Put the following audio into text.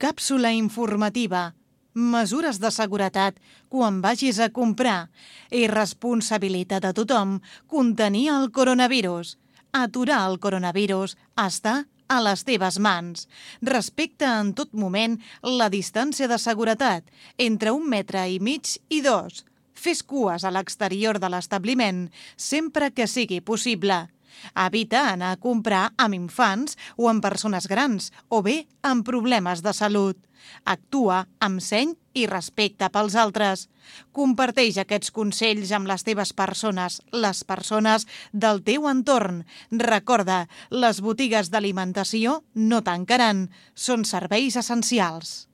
Càpsula informativa. Mesures de seguretat quan vagis a comprar. És responsabilitat de tothom contenir el coronavirus. Aturar el coronavirus està a les teves mans. Respecta en tot moment la distància de seguretat, entre 1,5 metres i 2. Fes cues a l'exterior de l'establiment sempre que sigui possible. Evita anar a comprar amb infants o amb persones grans o bé amb problemes de salut. Actua amb seny i respecte pels altres. Comparteix aquests consells amb les teves persones, les persones del teu entorn. Recorda, les botigues d'alimentació no tancaran, són serveis essencials.